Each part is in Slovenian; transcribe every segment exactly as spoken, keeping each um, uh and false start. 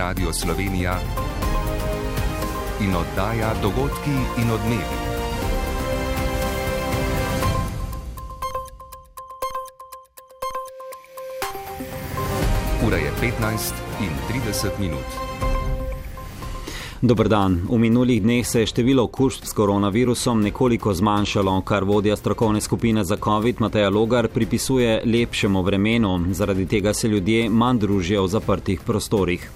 Radio Slovenija in oddaja Dogodki in odmevi. Ura je petnajst in trideset minut. Dober dan. V minulih dneh se je število okužb s koronavirusom nekoliko zmanjšalo, kar vodja strokovne skupine za COVID Mateja Logar pripisuje lepšemu vremenu. Zaradi tega se ljudje manj družijo v zaprtih prostorih.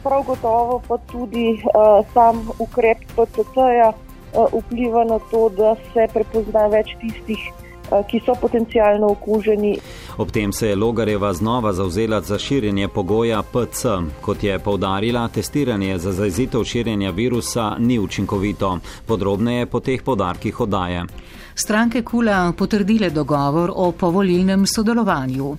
Prav gotovo pa tudi uh, sam ukrep P C T-ja uh, vpliva na to, da se prepozna več tistih, uh, ki so potencialno okuženi. Ob tem se je Logarjeva znova zavzela za širjenje pogoja P C. Kot je poudarila, testiranje za zajezitev širjenja virusa ni učinkovito. Podrobneje po teh poudarkih oddaje. Stranke KUL-a potrdile dogovor o povolilnem sodelovanju.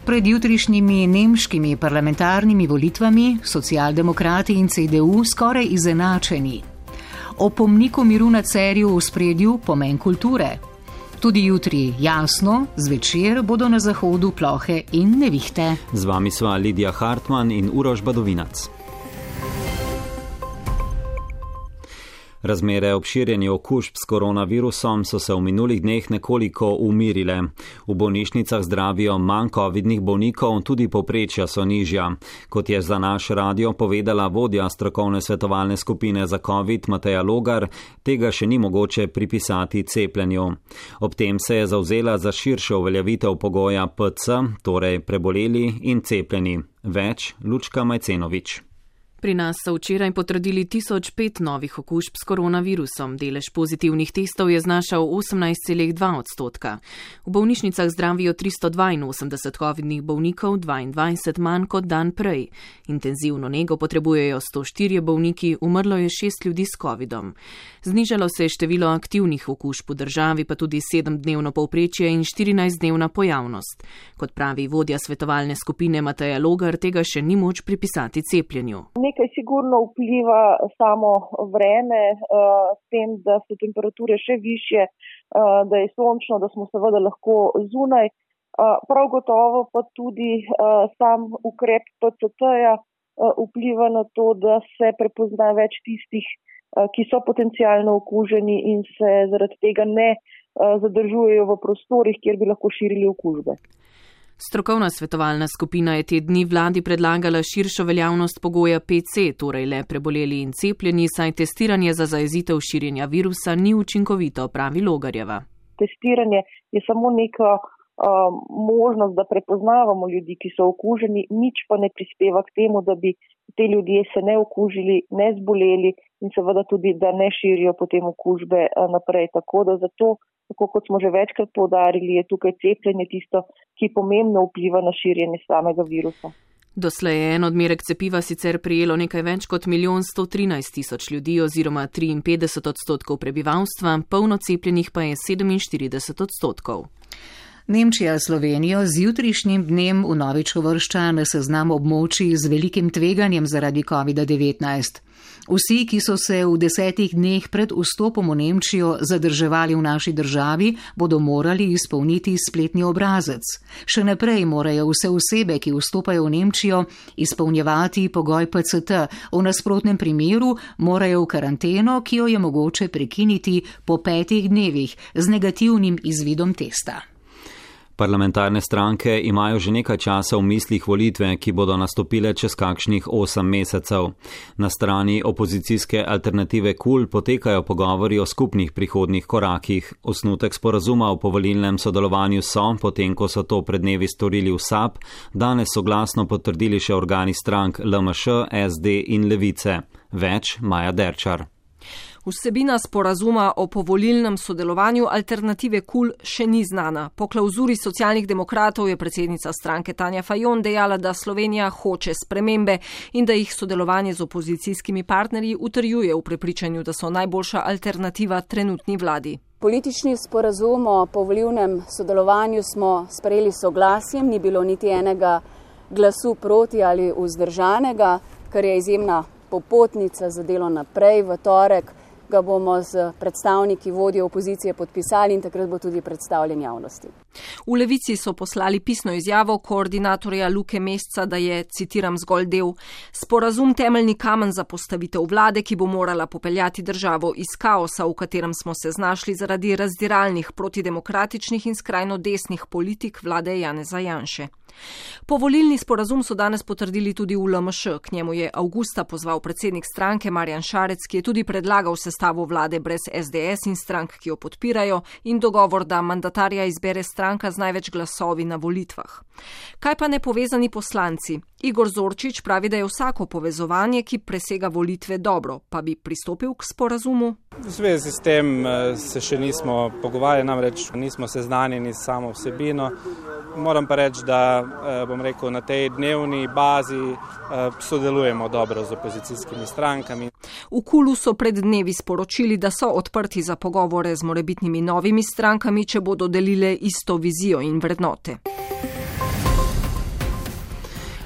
Pred jutrišnjimi nemškimi parlamentarnimi volitvami socialdemokrati in C D U skoraj izenačeni. O pomniku miru na Cerju v ospredju pomen kulture. Tudi jutri jasno, zvečer bodo na zahodu plohe in nevihte. Z vami sva Lidija Hartman in Uroš Badovinac. Razmere ob širjenju okužb s koronavirusom so se v minulih dneh nekoliko umirile. V bolnišnicah zdravijo manj covidnih bolnikov, tudi povprečja so nižja. Kot je za naš radio povedala vodja strokovne svetovalne skupine za COVID Mateja Logar, tega še ni mogoče pripisati cepljenju. Ob tem se je zavzela za širšo uveljavitev pogoja P C, torej preboleli in cepljeni. Več Lučka Majcenovič. Pri nas so včeraj potrdili tisoč pet novih okužb s koronavirusom. Delež pozitivnih testov je znašal osemnajst celih dva odstotka. V bolnišnicah zdravijo tristo dvainosemdeset covidnih bolnikov, dvaindvajset manj kot dan prej. Intenzivno nego potrebujejo sto štirje bolniki, umrlo je šest ljudi s covidom. Znižalo se je število aktivnih okužb v državi, pa tudi sedemdnevno povprečje in štirinajstdnevna pojavnost. Kot pravi vodja svetovalne skupine Mateja Logar, tega še ni moč pripisati cepljenju. Nekaj sigurno vpliva samo vreme, uh, s tem, da so temperature še višje, uh, da je sončno, da smo seveda lahko zunaj. Uh, prav gotovo pa tudi uh, sam ukrep P C T-ja uh, vpliva na to, da se prepozna več tistih, uh, ki so potencialno okuženi in se zaradi tega ne uh, zadržujejo v prostorih, kjer bi lahko širili okužbe. Strokovna svetovalna skupina je te dni vladi predlagala širšo veljavnost pogoja P C, torej le preboleli in cepljeni, saj testiranje za zajezitev širjenja virusa ni učinkovito, pravi Logarjeva. Testiranje je samo neka uh, možnost, da prepoznavamo ljudi, ki so okuženi, nič pa ne prispeva k temu, da bi te ljudje se ne okužili, ne zboleli in seveda tudi, da ne širijo potem okužbe uh, naprej. Tako da zato, tako kot smo že večkrat poudarili, je tukaj cepljenje tisto, ki pomembno vpliva na širjenje samega virusa. Doslej je en odmerek cepiva sicer prijelo nekaj več kot milijon sto trinajst tisoč ljudi oziroma triinpetdeset odstotkov prebivalstva, polno cepljenih pa je sedeminštirideset odstotkov. Nemčija Slovenijo z jutrišnjim dnem vnovič uvršča na seznam območij z velikim tveganjem zaradi covid devetnajst. Vsi, ki so se v desetih dneh pred vstopom v Nemčijo zadrževali v naši državi, bodo morali izpolniti spletni obrazec. Še naprej morajo vse osebe, ki vstopajo v Nemčijo, izpolnjevati pogoj P C T. V nasprotnem primeru morajo v karanteno, ki jo je mogoče prekiniti po petih dnevih z negativnim izvidom testa. Parlamentarne stranke imajo že nekaj časa v mislih volitve, ki bodo nastopile čez kakšnih osem mesecev. Na strani opozicijske alternative KUL potekajo pogovori o skupnih prihodnih korakih. Osnutek sporazuma o povolilnem sodelovanju so, potem ko so to pred dnevi storili v S A P, danes soglasno potrdili še organi strank L M Š, S D in Levice. Več Maja Derčar. Vsebina sporazuma o povolilnem sodelovanju alternative KUL še ni znana. Po klauzuri socialnih demokratov je predsednica stranke Tanja Fajon dejala, da Slovenija hoče spremembe in da jih sodelovanje z opozicijskimi partnerji utrjuje v prepričanju, da so najboljša alternativa trenutni vladi. Politični sporazum o povolilnem sodelovanju smo sprejeli soglasjem, ni bilo niti enega glasu proti ali vzdržanega, kar je izjemna popotnica za delo naprej. V torek ga bomo z predstavniki vodje opozicije podpisali in takrat bo tudi predstavljen javnosti. V Levici so poslali pisno izjavo koordinatorja Luke Mesca, da je, citiram zgolj del, sporazum temeljni kamen za postavitev vlade, ki bo morala popeljati državo iz kaosa, v katerem smo se znašli zaradi razdiralnih, protidemokratičnih in skrajno desnih politik vlade Janeza Janše. Povolilni sporazum so danes potrdili tudi v L M Š. K njemu je avgusta pozval predsednik stranke Marjan Šarec, ki je tudi predlagal sestavo vlade brez S D S in strank, ki jo podpirajo, in dogovor, da mandatarja izbere stranka z največ glasovi na volitvah. Kaj pa nepovezani poslanci? Igor Zorčič pravi, da je vsako povezovanje, ki presega volitve, dobro, pa bi pristopil k sporazumu. V zvezi s tem se še nismo pogovarjali, namreč nismo seznanjeni s samo vsebino. Moram pa reči, da bom rekel, na tej dnevni bazi sodelujemo dobro z opozicijskimi strankami. V Kulu so pred dnevi sporočili, da so odprti za pogovore z morebitnimi novimi strankami, če bodo delile isto vizijo in vrednote.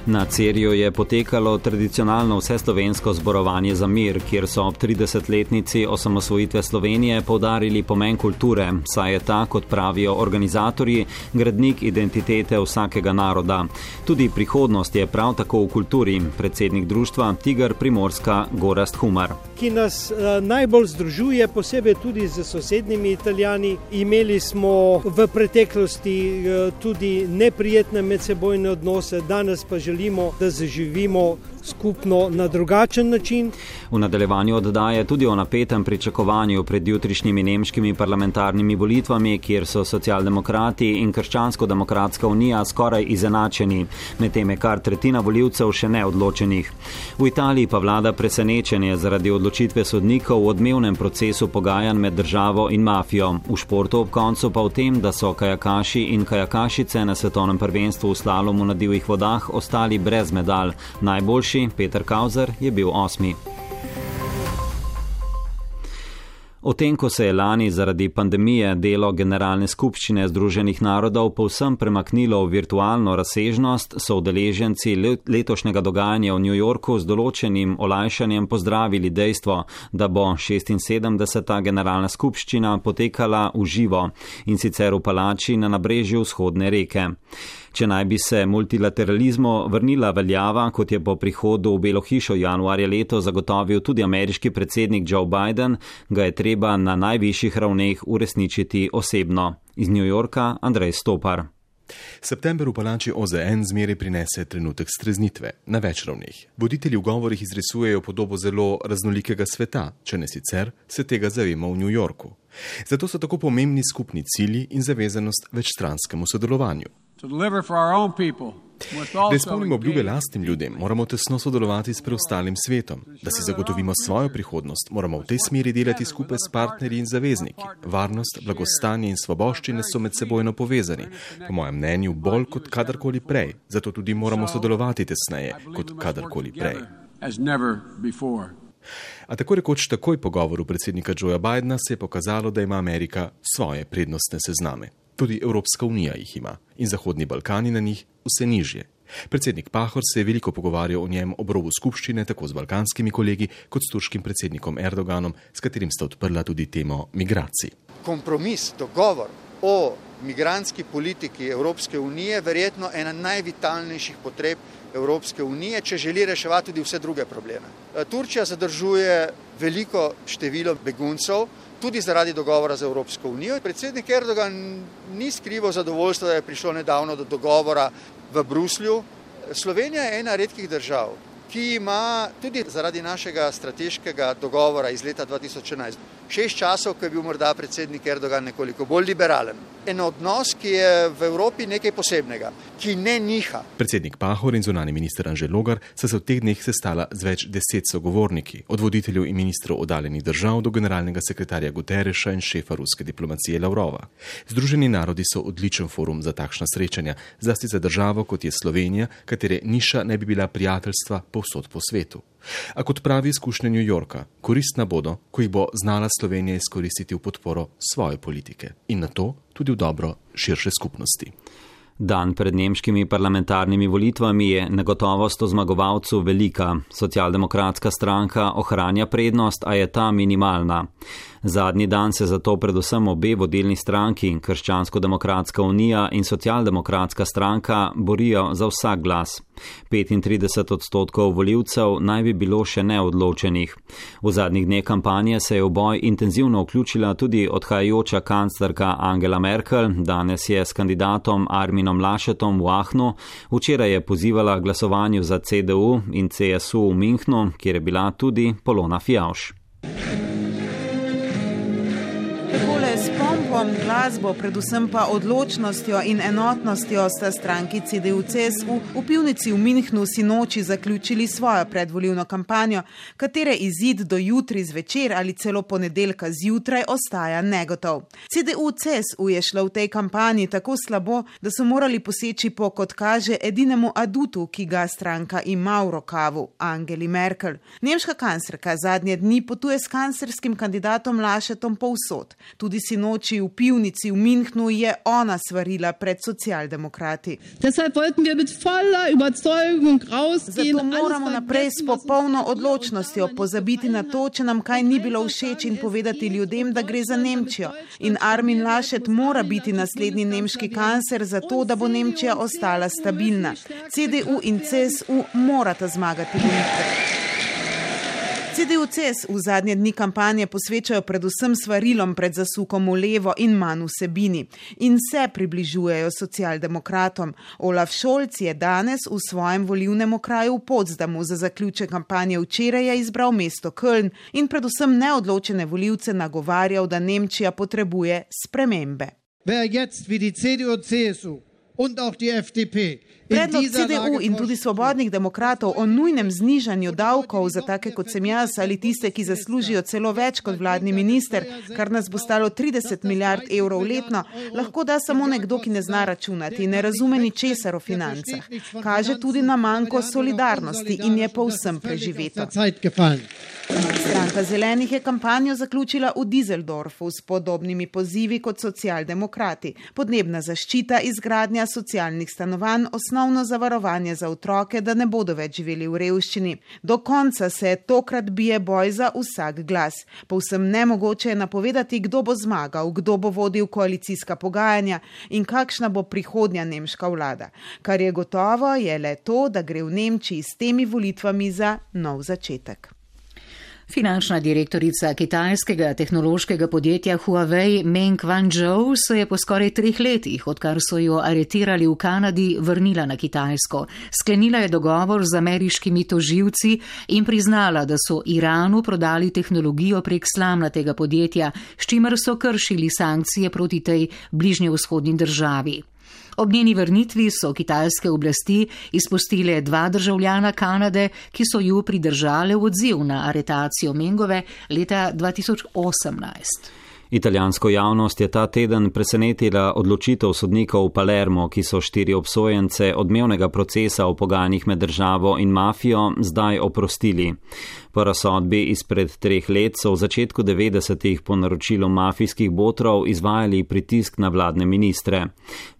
Na Cerju je potekalo tradicionalno vseslovensko zborovanje za mir, kjer so ob tridesetletnici osamosvojitve Slovenije poudarili pomen kulture, saj je ta, kot pravijo organizatorji, gradnik identitete vsakega naroda. Tudi prihodnost je prav tako v kulturi, predsednik društva Tigar Primorska Gorazd Humar. Ki nas uh, najbolj združuje, posebej tudi z sosednjimi Italijani. Imeli smo v preteklosti uh, tudi neprijetne medsebojne odnose, danes pa želimo, da zaživimo skupno na drugačen način. V nadaljevanju oddaje tudi o napetem pričakovanju pred jutrišnjimi nemškimi parlamentarnimi volitvami, kjer so socialdemokrati in Krščansko-demokratska unija skoraj izenačeni, medtem je kar tretjina volivcev še neodločenih. V Italiji pa vlada presenečenje zaradi odločitve sodnikov v odmevnem procesu pogajanj med državo in mafijo. V športu ob koncu pa v tem, da so kajakaši in kajakašice na svetovnem prvenstvu v slalomu na divjih vodah ostali brez medalj. Najboljši Peter Kauzer je bil osmi. O tem, ko se je lani zaradi pandemije delo Generalne skupščine Združenih narodov povsem premaknilo v virtualno razsežnost, so udeleženci letošnjega dogajanja v New Yorku z določenim olajšanjem pozdravili dejstvo, da bo šestinsedemdeseta Generalna skupščina potekala v živo in sicer v palači na nabrežju vzhodne reke. Če naj bi se multilateralizmu vrnila veljava, kot je po prihodu v Belo hišo januarja leto zagotovil tudi ameriški predsednik Joe Biden, ga je treba na najvišjih ravneh uresničiti osebno. Iz New Yorka Andrej Stopar. September v palači O Z N zmeraj prinese trenutek streznitve na več ravneh. Voditelji v govorih izrisujejo podobo zelo raznolikega sveta, če ne sicer se tega zavemo v New Yorku. Zato so tako pomembni skupni cilji in zavezanost večstranskemu sodelovanju. Da izpolnimo obljube lastnim ljudem, moramo tesno sodelovati s preostalim svetom. Da si zagotovimo svojo prihodnost, moramo v tej smeri delati skupaj s partnerji in zavezniki. Varnost, blagostanje in svoboščine so med sebojno povezani, po mojem mnenju bolj kot kadarkoli prej. Zato tudi moramo sodelovati tesneje kot kadarkoli prej. A tako rekoč takoj po govoru predsednika Joea Bidena se je pokazalo, da ima Amerika svoje prednostne sezname. Tudi Evropska unija jih ima in Zahodni Balkani na njih vse nižje. Predsednik Pahor se je veliko pogovarjal o njem ob robu skupščine, tako z balkanskimi kolegi, kot s turškim predsednikom Erdoganom, s katerim sta odprla tudi temo migracij. Kompromis, dogovor o migrantski politiki Evropske unije verjetno ena najvitalnejših potreb Evropske unije, če želi reševati tudi vse druge probleme. Turčija zadržuje veliko število beguncev, tudi zaradi dogovora z Evropsko unijo. Predsednik Erdogan ni skrival zadovoljstva, da je prišlo nedavno do dogovora v Bruslju. Slovenija je ena redkih držav, ki ima tudi zaradi našega strateškega dogovora iz leta dva tisoč enajst šest časov, ko je bil morda predsednik Erdogan nekoliko bolj liberalen. En odnos, ki je v Evropi nekaj posebnega, ki ne niha. Predsednik Pahor in zunanji minister Anže Logar sta se v teh dneh sestala z več deset sogovorniki, od voditeljev in ministrov oddaljenih držav do generalnega sekretarja Guterreša in šefa ruske diplomacije Lavrova. Združeni narodi so odličen forum za takšna srečanja, zlasti za državo, kot je Slovenija, katere niša ne bi bila prijateljstva povsod po svetu. A kot pravi izkušnje New Yorka, koristna bodo, ko jih bo znala Slovenija izkoristiti v podporo svoje politike in na to tudi v dobro širše skupnosti. Dan pred nemškimi parlamentarnimi volitvami je negotovost o zmagovalcu velika. Socialdemokratska stranka ohranja prednost, a je ta minimalna. Zadnji dan se zato predvsem obe vodilni stranki, Krščansko-demokratska unija in Socialdemokratska stranka, borijo za vsak glas. petintrideset odstotkov volivcev naj bi bilo še neodločenih. V zadnjih dneh kampanje se je v boj intenzivno vključila tudi odhajajoča kanclerka Angela Merkel, danes je s kandidatom Arminom Laschetom v Aachenu, včeraj je pozivala glasovanju za C D U in C S U v Münchnu, kjer je bila tudi Polona Fijavš. S pompom, glasbo, predvsem pa odločnostjo in enotnostjo sta stranki C D U C S U v pivnici v Münchnu sinoči zaključili svojo predvolilno kampanjo, katere izid do jutri zvečer ali celo ponedeljka zjutraj ostaja negotov. C D U C S U je šla v tej kampanji tako slabo, da so morali poseči po, kot kaže, edinemu adutu, ki ga stranka ima v rokavu, Angeli Merkel. Nemška kanclerka zadnje dni potuje s kanclerskim kandidatom Laschetom povsod. Tudi sinoči v pivnici v Münchnu je ona svarila pred socialdemokrati. Zato moramo naprej s popolno odločnostjo pozabiti na to, če nam kaj ni bilo všeč, in povedati ljudem, da gre za Nemčijo. In Armin Laschet mora biti naslednji nemški kancler, zato da bo Nemčija ostala stabilna. C D U in C S U morata zmagati volitve. C D U C S U v zadnje dni kampanje posvečajo predvsem svarilom pred zasukom v levo in manj vsebini in se približujejo socialdemokratom. Olaf Scholz je danes v svojem volilnem okraju v Potsdamu za zaključek kampanje včeraj izbral mesto Köln in predvsem neodločene volivce nagovarjal, da Nemčija potrebuje spremembe. Wer jetzt wie die C D U C S U und auch die F D P Predlog C D U in tudi svobodnih demokratov o nujnem znižanju davkov za take kot sem jaz ali tiste, ki zaslužijo celo več kot vladni minister, kar nas bo stalo trideset milijard evrov letno, lahko da samo nekdo, ki ne zna računati in ne razume ničesar o financah. Kaže tudi na manjko solidarnosti in je povsem preživeto. Stranka zelenih je kampanjo zaključila v Düsseldorfu s podobnimi pozivi kot socialdemokrati. Podnebna zaščita, izgradnja socialnih stanovanj, osnovno zavarovanje za otroke, da ne bodo več živeli v revščini. Do konca se tokrat bije boj za vsak glas. Povsem nemogoče je napovedati, kdo bo zmagal, kdo bo vodil koalicijska pogajanja in kakšna bo prihodnja nemška vlada. Kar je gotovo, je le to, da gre v Nemčiji s temi volitvami za nov začetek. Finančna direktorica kitajskega tehnološkega podjetja Huawei Meng Wanzhou se je po skoraj treh letih, odkar so jo aretirali v Kanadi, vrnila na Kitajsko. Sklenila je dogovor z ameriškimi tožilci in priznala, da so Iranu prodali tehnologijo prek slamnatega podjetja, s čimer so kršili sankcije proti tej bližnjevzhodni državi. Ob njeni vrnitvi so kitajske oblasti izpustile dva državljana Kanade, ki so ju pridržale v odziv na aretacijo Mengove leta dva tisoč osemnajst. Italijansko javnost je ta teden presenetila odločitev sodnikov v Palermo, ki so štiri obsojence odmevnega procesa v pogajanjih med državo in mafijo zdaj oprostili. Po razsodbi izpred treh let so v začetku devetdesetih po naročilu mafijskih botrov izvajali pritisk na vladne ministre.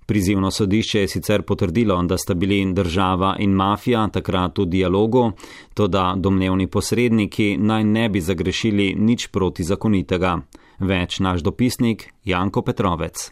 Prizivno sodišče je sicer potrdilo, da sta bili država in mafija takrat v dialogu, toda domnevni posredniki naj ne bi zagrešili nič protizakonitega. Več naš dopisnik Janko Petrovec.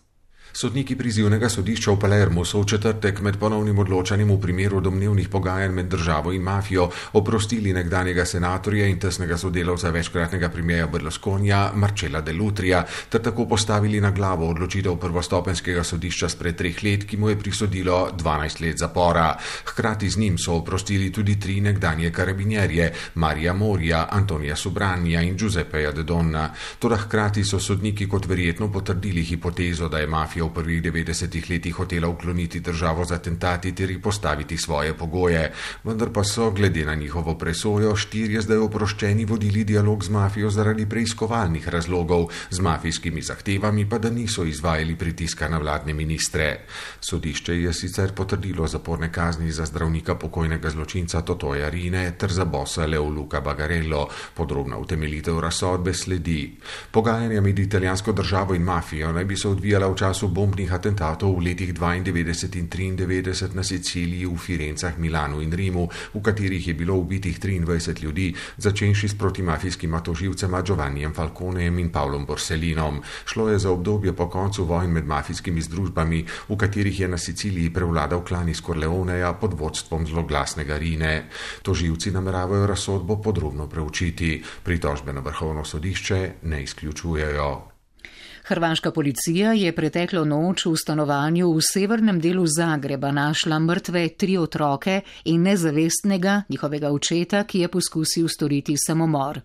Sodniki prizivnega sodišča v Palermu so v četrtek med ponovnim odločanjem v primeru domnevnih pogajanj med državo in mafijo oprostili nekdanjega senatorja in tesnega sodelavca večkratnega premierja Berlusconija Marcella Dellutrija ter tako postavili na glavo odločitev prvostopenjskega sodišča spred treh let, ki mu je prisodilo dvanajst let zapora. Hkrati z njim so oprostili tudi tri nekdanje karabinjerje, Marija Morija, Antonija Subranja in Giuseppeja De Donna. Toda hkrati so sodniki kot verjetno potrdili hipotezo, da je mafija v prvih devetdesetih letih hotela ukloniti državo z atentati ter postaviti svoje pogoje. Vendar pa so, glede na njihovo presojo, štirje zdaj oproščeni vodili dialog z mafijo zaradi preiskovalnih razlogov, z mafijskimi zahtevami pa da niso izvajali pritiska na vladne ministre. Sodišče je sicer potrdilo zaporne kazni za zdravnika pokojnega zločinca Totoja Rine ter za bossa Leoluca Bagarello. Podrobna utemeljitev razsodbe sledi. Pogajanja med italijansko državo in mafijo naj bi se odvijala v času času bombnih atentatov v letih dvaindevetdeset in triindevetdeset na Siciliji, v Firencah, Milanu in Rimu, v katerih je bilo ubitih triindvajset ljudi, začenši s protimafijskima toživcema Giovannijem Falconejem in Pavlom Borsellinom. Šlo je za obdobje po koncu vojn med mafijskimi združbami, v katerih je na Siciliji prevladal klan iz Corleoneja pod vodstvom zloglasnega Rine. Toživci nameravajo razsodbo podrobno preučiti. Pritožbe na vrhovno sodišče ne izključujejo. Hrvaška policija je preteklo noč v stanovanju v severnem delu Zagreba našla mrtve tri otroke in nezavestnega njihovega očeta, ki je poskusil storiti samomor.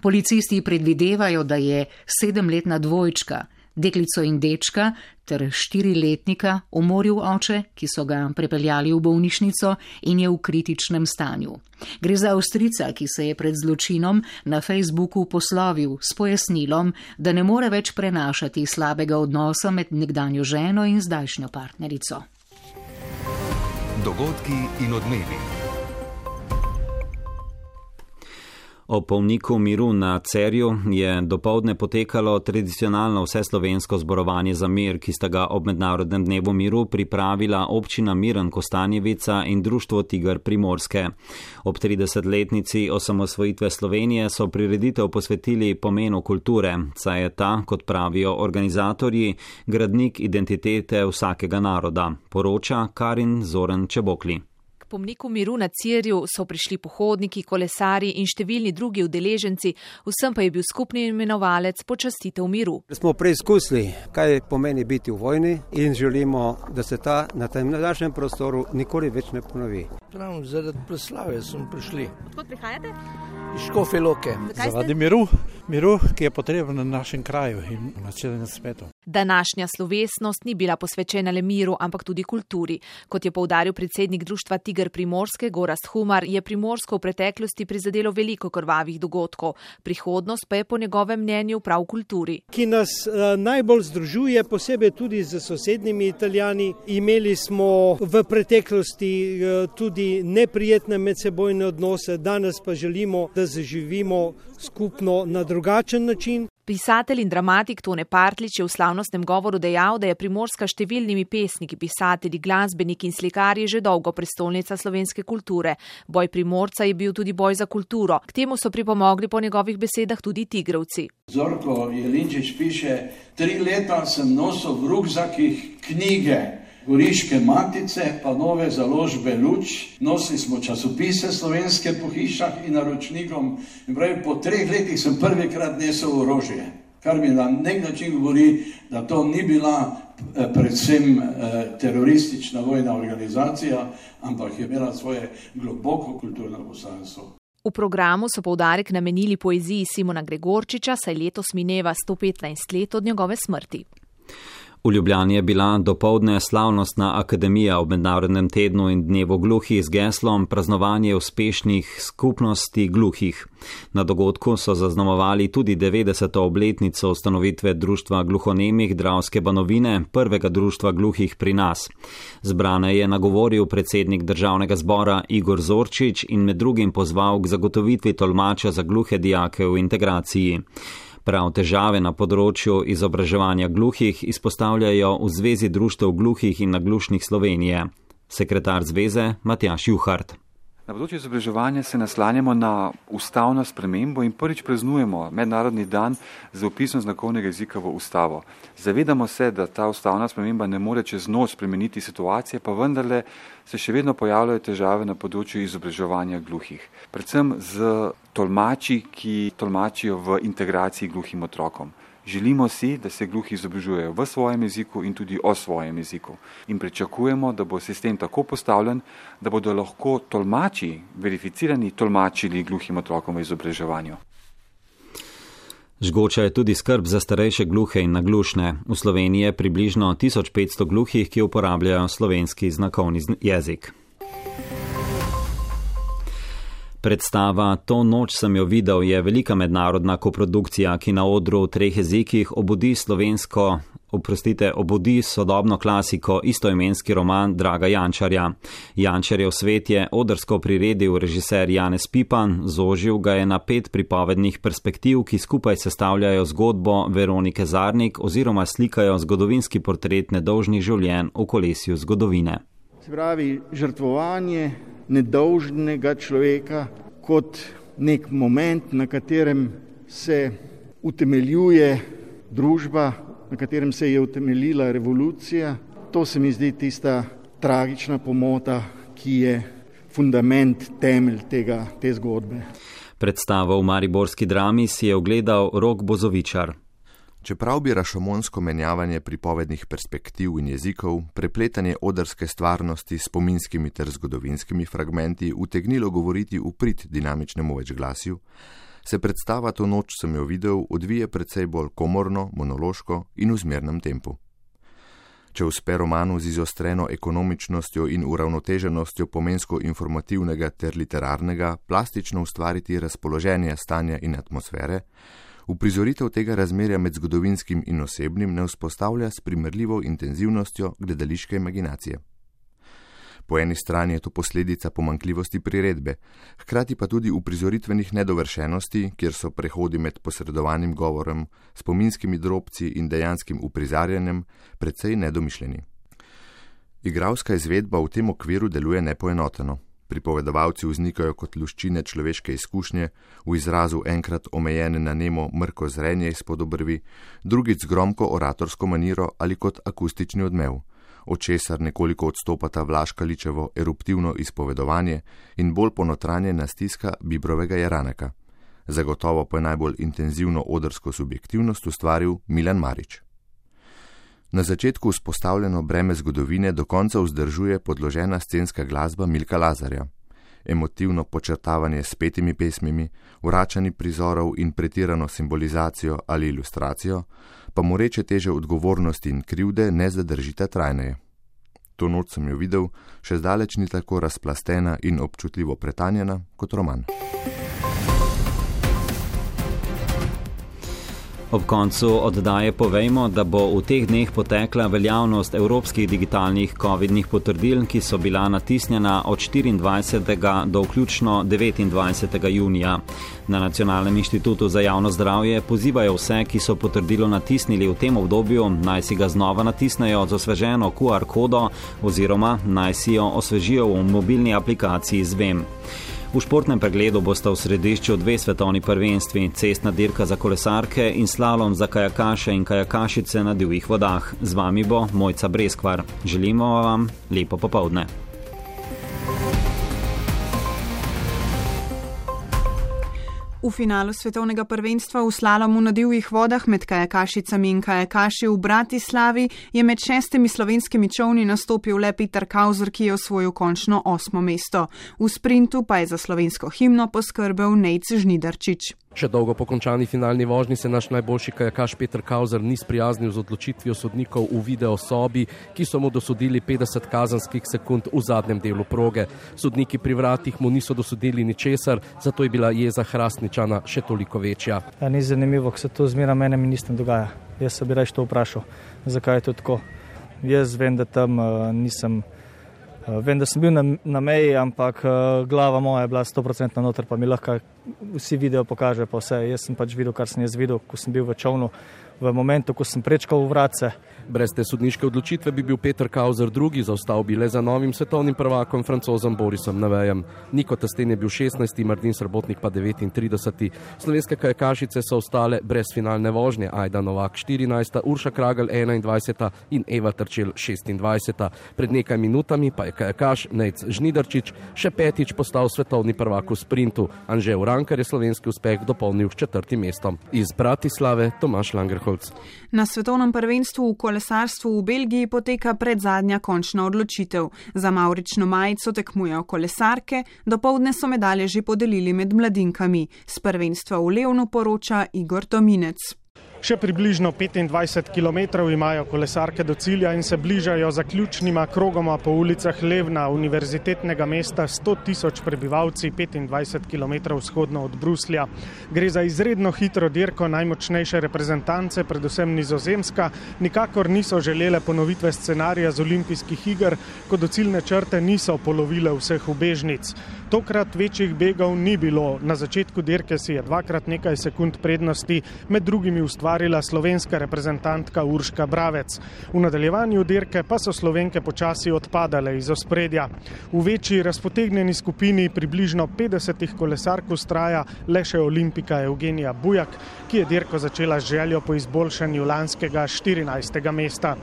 Policisti predvidevajo, da je sedemletna dvojčka, deklico in dečka ter štiriletnika umoril oče, ki so ga prepeljali v bolnišnico in je v kritičnem stanju. Gre za Avstrijca, ki se je pred zločinom na Facebooku poslovil s pojasnilom, da ne more več prenašati slabega odnosa med nekdanjo ženo in zdajšnjo partnerico. Dogodki in odmevi. Ob polniku miru na Cerju je dopoldne potekalo tradicionalno vseslovensko zborovanje za mir, ki sta ga ob mednarodnem dnevu miru pripravila občina Miren Kostanjevica in društvo Tiger Primorske. Ob tridesetletnici osamosvojitve Slovenije so prireditev posvetili pomenu kulture, saj je ta, kot pravijo organizatorji, gradnik identitete vsakega naroda, poroča Karin Zoran Čebokli. Po pomniku miru na Cerju so prišli pohodniki, kolesari in številni drugi udeleženci, vsem pa je bil skupni imenovalec počastitev miru. Smo preizkusili, kaj pomeni biti v vojni in želimo, da se ta na tem našem prostoru nikoli več ne ponovi. Prav zaradi proslave smo prišli. Odkot prihajate? Iz Škofje Loke. Zaradi miru, miru, ki je potreben na našem kraju in na celem svetu. Današnja slovesnost ni bila posvečena le miru, ampak tudi kulturi. Kot je poudaril predsednik društva Tiger Primorske Gorazd Humar, je Primorsko v preteklosti prizadelo veliko krvavih dogodkov. Prihodnost pa je po njegovem mnenju prav v kulturi. Ki nas uh, najbolj združuje, posebej tudi z sosednjimi Italijani. Imeli smo v preteklosti uh, tudi neprijetne medsebojne odnose, danes pa želimo, da zaživimo skupno na drugačen način. Pisatelj in dramatik Tone Partlič je v slavnostnem govoru dejal, da je Primorska številnimi pesniki, pisatelji, glasbeniki in slikarji že dolgo prestolnica slovenske kulture. Boj Primorca je bil tudi boj za kulturo. K temu so pripomogli po njegovih besedah tudi tigrovci. Zorko Jelinčič piše, tri leta sem nosil v rukzakih knjige Goriške matice, pa nove založbe Luč, nosili smo časopise slovenske po hišah in naročnikom in pravi, po treh letih sem prvikrat nesel orožje, kar mi na nek način govori, da to ni bila predvsem teroristična vojna organizacija, ampak je imela svoje globoko kulturno poslanstvo. V programu so poudarek namenili poeziji Simona Gregorčiča, saj letos mineva sto petnajst let od njegove smrti. V Ljubljani je bila dopoldne slavnostna akademija ob mednarodnem tednu in dnevu gluhih z geslom praznovanje uspešnih skupnosti gluhih. Na dogodku so zaznamovali tudi devetdeseto obletnico ustanovitve društva gluhonemih Dravske Banovine, prvega društva gluhih pri nas. Zbrane je nagovoril predsednik državnega zbora Igor Zorčič in med drugim pozval k zagotovitvi tolmača za gluhe dijake v integraciji. Prav težave na področju izobraževanja gluhih izpostavljajo v Zvezi društev gluhih in naglušnih Slovenije. Sekretar zveze Matjaž Juhart. Na področju izobraževanja se naslanjamo na ustavno spremembo in prvič praznujemo mednarodni dan z vpisom znakovnega jezika v ustavo. Zavedamo se, da ta ustavna sprememba ne more čez noč spremeniti situacije, pa vendarle se še vedno pojavljajo težave na področju izobraževanja gluhih. Predvsem z tolmači, ki tolmačijo v integraciji gluhim otrokom. Želimo si, da se gluhi izobražujejo v svojem jeziku in tudi o svojem jeziku. In pričakujemo, da bo sistem tako postavljen, da bodo lahko tolmači, verificirani tolmačili gluhim otrokom v izobraževanju. Žgoča je tudi skrb za starejše gluhe in naglušne. V Sloveniji je približno tisoč petsto gluhih, ki uporabljajo slovenski znakovni jezik. Predstava To noč sem jo videl je velika mednarodna koprodukcija, ki na odru v treh jezikih obudi slovensko oprostite, obudi sodobno klasiko istoimenski roman Draga Jančarja. Jančarjev svet je odrsko priredil režiser Janez Pipan, zožil ga je na pet pripovednih perspektiv, ki skupaj sestavljajo zgodbo Veronike Zarnik oziroma slikajo zgodovinski portret nedolžnih življenj v kolesju zgodovine. Se pravi, žrtvovanje nedolžnega človeka kot nek moment, na katerem se utemeljuje družba, na katerem se je utemeljila revolucija. To se mi zdi tista tragična pomota, ki je fundament, temelj tega, te zgodbe. Predstavo v mariborski drami si je ogledal Rok Bozovičar. Čeprav bi rašomonsko menjavanje pripovednih perspektiv in jezikov, prepletanje odrske stvarnosti s spominskimi ter zgodovinskimi fragmenti utegnilo govoriti v prid dinamičnemu večglasju, se predstava To noč sem jo videl odvije precej bolj komorno, monološko in v zmernem tempu. Če uspe romanu z izostreno ekonomičnostjo in uravnoteženostjo pomensko informativnega ter literarnega plastično ustvariti razpoloženje stanja in atmosfere, uprizoritev tega razmerja med zgodovinskim in osebnim ne vzpostavlja s primerljivo intenzivnostjo gledališke imaginacije. Po eni strani je to posledica pomanjkljivosti priredbe, hkrati pa tudi uprizoritvenih nedovršenosti, kjer so prehodi med posredovanim govorom, spominskimi drobci in dejanskim uprizarjanjem precej nedomišljeni. Igralska izvedba v tem okviru deluje nepoenoteno. Pripovedovalci vznikajo kot luščine človeške izkušnje, v izrazu enkrat omejene na nemo mrko zrenje izpod obrvi, drugič z gromko oratorsko maniro ali kot akustični odmev, od česar nekoliko odstopata Vlaškaličevo eruptivno izpovedovanje in bolj ponotranjena stiska Bibrovega Jaraneka. Zagotovo pa je najbolj intenzivno odrsko subjektivnost ustvaril Milan Marič. Na začetku vzpostavljeno breme zgodovine do konca vzdržuje podložena scenska glasba Milka Lazarja. Emotivno počrtavanje s petimi pesmimi, vračanje prizorov in pretirano simbolizacijo ali ilustracijo pa mu reče teže odgovornosti in krivde ne zadržita trajneje. To noč sem jo videl, še zdaleč ni tako razplastena in občutljivo pretanjena kot roman. Ob koncu oddaje povejmo, da bo v teh dneh potekla veljavnost evropskih digitalnih covidnih potrdil, ki so bila natisnjena od štiriindvajsetega do vključno devetindvajsetega junija. Na Nacionalnem inštitutu za javno zdravje pozivajo vse, ki so potrdilo natisnili v tem obdobju, naj si ga znova natisnejo z osveženo Q R kodo oziroma naj si jo osvežijo v mobilni aplikaciji Zvem. V športnem pregledu bosta v središču dve svetovni prvenstvi, cestna dirka za kolesarke in slalom za kajakaše in kajakašice na divjih vodah. Z vami bo Mojca Breskvar. Želimo vam lepo popoldne. V finalu svetovnega prvenstva v slalomu na divjih vodah med kajakašicami in kajakaši v Bratislavi je med šestimi slovenskimi čolni nastopil le Peter Kauzer, ki je osvojil končno osmo mesto. V sprintu pa je za slovensko himno poskrbel Nejc Žnidarčič. Še dolgo po končani finalni vožnji se naš najboljši kajakaš Peter Kauzer ni sprijaznil z odločitvijo sodnikov v video sobi, ki so mu dosodili petdeset kazenskih sekund v zadnjem delu proge. Sodniki pri vratih mu niso dosodili ničesar, zato je bila jeza Hrastničana še toliko večja. Ja, ni zanimivo, ko se to zmeraj mene ministrem dogaja. Jaz se bi reč to vprašal, zakaj je to tako. Jaz vem, da tam uh, nisem... Vem, da sem bil na, na meji, ampak glava moja je bila sto procentno noter, pa mi lahko vsi video pokaže pa vse. Jaz sem pač videl, kar sem jaz videl, ko sem bil v čovnu, v momentu, ko sem prečkal vratce. Brez te sodniške odločitve bi bil Peter Kauzer drugi, zaostal bi le za novim svetovnim prvakom Francozom Borisom Nevejem. Niko Testen je bil šestnajsti, Martin Srebotnik pa devetintrideseti. Slovenske kajakašice so ostale brez finalne vožnje, Ajda Novak štirinajsta, Urša Kragel enaindvajseta in Eva Trčel šestindvajseta. Pred nekaj minutami pa je kajakaš Nejc Žnidarčič še petič postal svetovni prvak v sprintu. Anže Urankar je slovenski uspeh dopolnil s četrtim mestom. Iz Bratislave Tomaž Langerholc. Na svetovnem prvenstvu v kolesarstvu v Belgiji poteka predzadnja končna odločitev. Za mavrično majico tekmujejo kolesarke, dopoldne so medalje že podelili med mladinkami. S prvenstva v Levnu poroča Igor Tominec. Še približno petindvajset kilometrov imajo kolesarke do cilja in se bližajo zaključnima krogoma po ulicah Levna, univerzitetnega mesta s sto tisoč prebivalci, petindvajset kilometrov vzhodno od Bruslja. Gre za izredno hitro dirko najmočnejše reprezentance, predvsem Nizozemska, nikakor niso želele ponovitve scenarija z olimpijskih iger, ko do ciljne črte niso polovile vseh ubežnic. Tokrat večjih begov ni bilo. Na začetku dirke si je dvakrat nekaj sekund prednosti, med drugimi ustvarila slovenska reprezentantka Urška Bravec. V nadaljevanju dirke pa so Slovenke počasi odpadale iz ospredja. V večji razpotegnjeni skupini približno petdesetih kolesark vztraja le še olimpika Evgenija Bujak, ki je dirko začela z željo po izboljšanju lanskega štirinajstega mesta.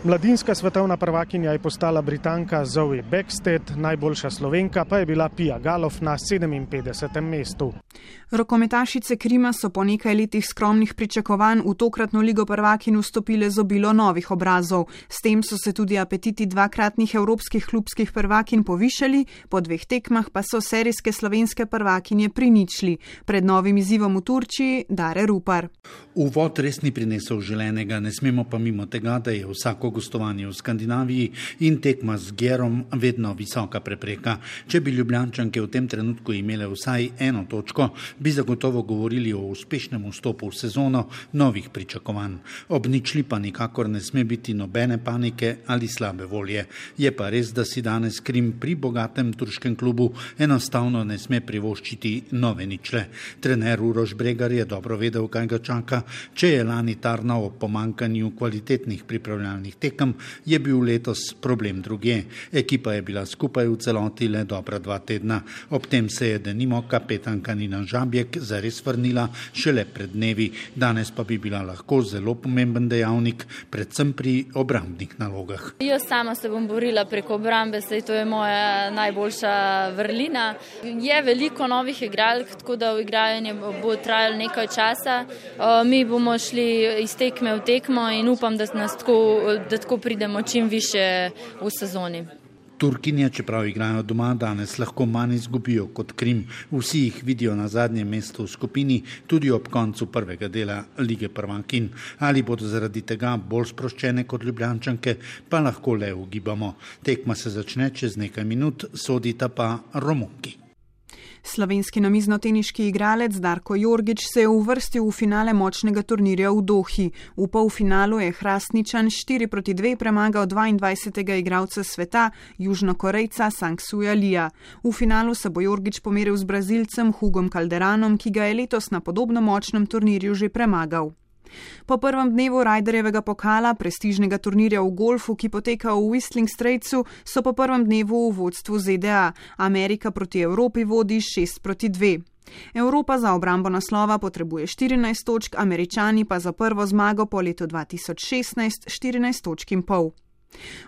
Mladinska svetovna prvakinja je postala Britanka Zoe Beckstead, najboljša Slovenka pa je bila Pia Galof na sedeminpetdesetem mestu. Rokometašice Krima so po nekaj letih skromnih pričakovanj v tokratno ligo prvakinj vstopile z obilo novih obrazov. S tem so se tudi apetiti dvakratnih evropskih klubskih prvakinj povišali, po dveh tekmah pa so serijske slovenske prvakinje priničli. Pred novim izzivom v Turčiji Dare Rupar. Uvod res ni prinesel želenega, ne smemo pa mimo tega, da je vsako gostovanje v Skandinaviji in tekma z Gerom vedno visoka prepreka. Če bi Ljubljančanke v tem trenutku imele vsaj eno točko, bi zagotovo govorili o uspešnem vstopu v sezono novih pričakovanj. Ob ničli pa nikakor ne sme biti nobene panike ali slabe volje. Je pa res, da si danes Krim pri bogatem turškem klubu enostavno ne sme privoščiti nove ničle. Trener Uroš Bregar je dobro vedel, kaj ga čaka. Če je lani tarnal o pomankanju kvalitetnih pripravljalnih tekem, je bil letos problem drugje. Ekipa je bila skupaj v celoti le dobra dva tedna. Ob tem se je denimo kapetanka Nina Žabjek zares vrnila šele pred dnevi. Danes pa bi bila lahko zelo pomemben dejavnik, predvsem pri obrambnih nalogah. Jaz sama se bom borila preko obrambe, saj to je moja najboljša vrlina. Je veliko novih igralk, tako da igranje bo trajalo nekaj časa. Mi bomo šli iz tekme v tekmo in upam, da nas tako da tako pridemo čim više v sezoni. Turkinje, čeprav igrajo doma, danes lahko manj izgubijo kot Krim. Vsi jih vidijo na zadnjem mestu v skupini, tudi ob koncu prvega dela lige prvakinj. Ali bodo zaradi tega bolj sproščene kot Ljubljančanke, pa lahko le ugibamo. Tekma se začne čez nekaj minut, sodita pa Romunki. Slovenski namiznoteniški igralec Darko Jorgič se je uvrstil v finale močnega turnirja v Dohi. V polfinalu je Hrastničan štiri proti dve premagal dvaindvajsetega igralca sveta, Južnokorejca Sang Suja Lija. V finalu se bo Jorgič pomeril z Brazilcem Hugom Calderanom, ki ga je letos na podobno močnem turnirju že premagal. Po prvem dnevu Ryderjevega pokala, prestižnega turnirja v golfu, ki poteka v Whistling Straitsu, so po prvem dnevu v vodstvu Z D A. Amerika proti Evropi vodi šest proti dve. Evropa za obrambo naslova potrebuje štirinajst točk, Američani pa za prvo zmago po letu dva tisoč šestnajst štirinajst točk in pol.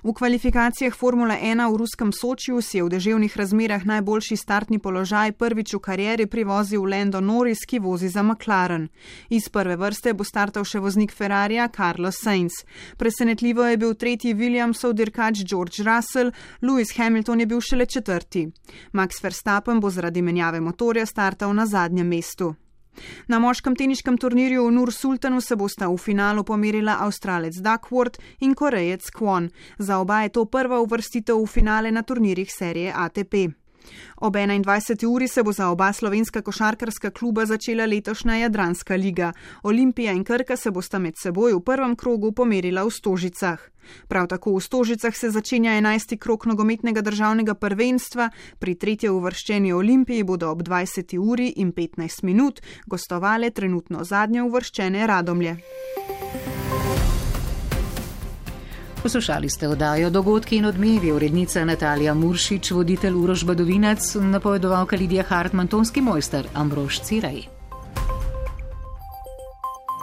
V kvalifikacijah Formule ena v ruskem Sočiju si je v deževnih razmerah najboljši startni položaj prvič v karieri privozil Lando Norris, ki vozi za McLaren. Iz prve vrste bo startal še voznik Ferrarija Carlos Sainz. Presenetljivo je bil tretji Williamsov dirkač George Russell, Lewis Hamilton je bil šele četrti. Max Verstappen bo zaradi menjave motorja startal na zadnjem mestu. Na moškem teniškem turnirju v Nur Sultanu se bosta v finalu pomerila Avstralec Duckworth in Korejec Kwon. Za oba je to prva uvrstitev v finale na turnirjih serije A T P. Ob enaindvajseti uri se bo za oba slovenska košarkarska kluba začela letošnja Jadranska liga. Olimpija in Krka se bosta med seboj v prvem krogu pomerila v Stožicah. Prav tako v Stožicah se začenja enajsti krog nogometnega državnega prvenstva. Pri tretje uvrščeni Olimpiji bodo ob dvajseti uri in petnajst minut gostovale trenutno zadnje uvrščene Radomlje. Poslušali ste oddajo Dogodki in odmevi, urednica Natalija Muršič, voditelj Uroš Badovinac, napovedovalka Lidija Hartman, tonski mojster Ambrož Cirej.